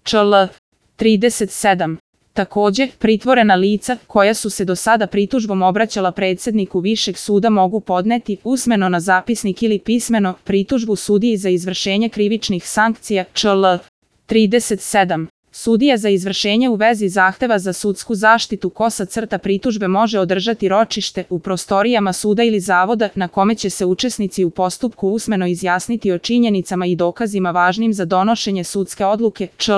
čl. 37. Takođe, pritvorena lica, koja su se do sada pritužbom obraćala predsedniku Višeg suda mogu podneti, usmeno na zapisnik ili pismeno, pritužbu sudiji za izvršenje krivičnih sankcija, čl. 37. Sudija za izvršenje u vezi zahteva za sudsku zaštitu pritužbe može održati ročište u prostorijama suda ili zavoda na kome će se učesnici u postupku usmeno izjasniti o činjenicama i dokazima važnim za donošenje sudske odluke, čl.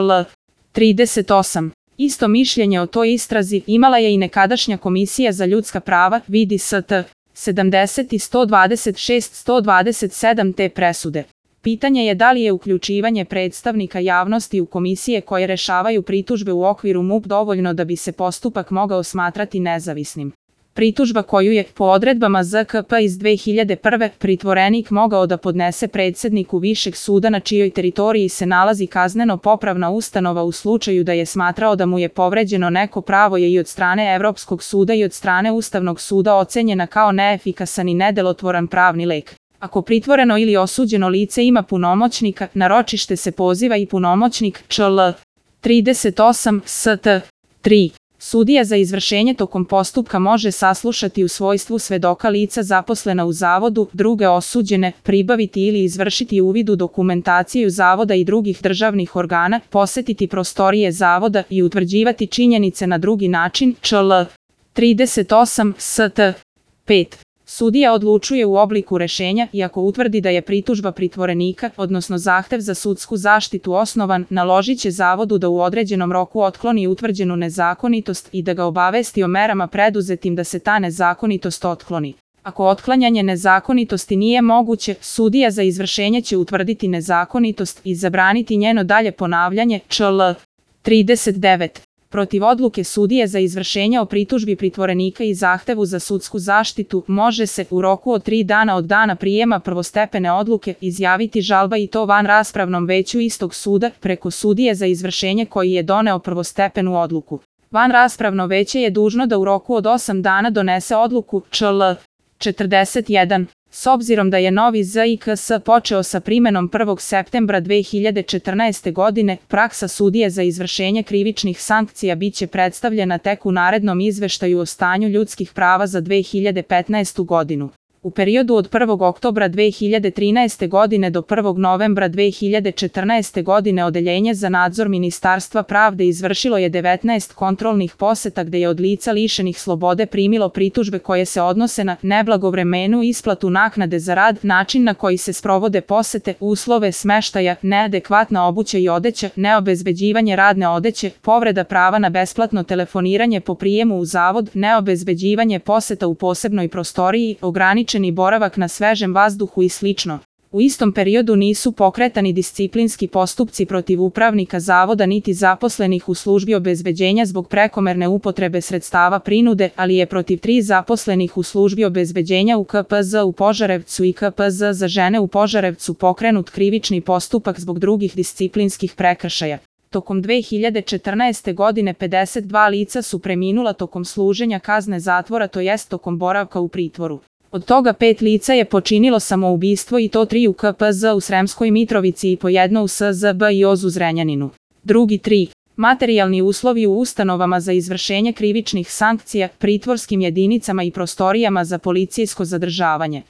38. Isto mišljenje o toj istrazi imala je i nekadašnja Komisija za ljudska prava, vidi St. 70 i 126-127 te presude. Pitanje je da li je uključivanje predstavnika javnosti u komisije koje rešavaju pritužbe u okviru MUP dovoljno da bi se postupak mogao smatrati nezavisnim. Pritužba koju je, po odredbama ZKP iz 2001. pritvorenik mogao da podnese predsedniku Višeg suda na čijoj teritoriji se nalazi kazneno-popravna ustanova u slučaju da je smatrao da mu je povređeno neko pravo je i od strane Evropskog suda i od strane Ustavnog suda ocenjena kao neefikasan i nedelotvoran pravni lek. Ako pritvoreno ili osuđeno lice ima punomoćnika, na ročište se poziva i punomoćnik, čl. 38 st. 3. Sudija za izvršenje tokom postupka može saslušati u svojstvu svedoka lica zaposlena u zavodu, druge osuđene, pribaviti ili izvršiti uvid u dokumentaciju zavoda i drugih državnih organa, posetiti prostorije zavoda i utvrđivati činjenice na drugi način, čl. 38 st. 5. Sudija odlučuje u obliku rešenja i ako utvrdi da je pritužba pritvorenika, odnosno zahtev za sudsku zaštitu osnovan, naložit će zavodu da u određenom roku otkloni utvrđenu nezakonitost i da ga obavesti o merama preduzetim da se ta nezakonitost otkloni. Ako otklanjanje nezakonitosti nije moguće, sudija za izvršenje će utvrditi nezakonitost i zabraniti njeno dalje ponavljanje, čl. 39. Protiv odluke sudije za izvršenje o pritužbi pritvorenika i zahtevu za sudsku zaštitu može se, u roku od 3 dana od dana prijema prvostepene odluke, izjaviti žalba i to vanraspravnom veću istog suda preko sudije za izvršenje koji je doneo prvostepenu odluku. Vanraspravno veće je dužno da u roku od 8 dana donese odluku, čl. 41. S obzirom da je novi ZIKS počeo sa primenom 1. septembra 2014. godine, praksa sudije za izvršenje krivičnih sankcija biće predstavljena tek u narednom izveštaju o stanju ljudskih prava za 2015. godinu. U periodu od 1. oktobra 2013. godine do 1. novembra 2014. godine Odeljenje za nadzor Ministarstva pravde izvršilo je 19 kontrolnih poseta gde je od lica lišenih slobode primilo pritužbe koje se odnose na neblagovremenu isplatu naknade za rad, način na koji se sprovode posete, uslove smeštaja, neadekvatna obuća i odeća, neobezbeđivanje radne odeće, povreda prava na besplatno telefoniranje po prijemu u zavod, neobezbeđivanje poseta u posebnoj prostoriji, ograničeni boravak na svežem vazduhu i slično. U istom periodu nisu pokretani disciplinski postupci protiv upravnika zavoda niti zaposlenih u službi obezbeđenja zbog prekomerne upotrebe sredstava prinude, ali je protiv 3 zaposlenih u službi obezbeđenja u KPZ u Požarevcu i KPZ za žene u Požarevcu pokrenut krivični postupak zbog drugih disciplinskih prekršaja. Tokom 2014. godine 52 lica su preminula tokom služenja kazne zatvora, to jest tokom boravka u pritvoru. Od toga 5 lica je počinilo samoubistvo i to 3 u KPZ u Sremskoj Mitrovici i po jedno u SZB i OZ u Zrenjaninu. Drugi 3. Materijalni uslovi u ustanovama za izvršenje krivičnih sankcija, pritvorskim jedinicama i prostorijama za policijsko zadržavanje.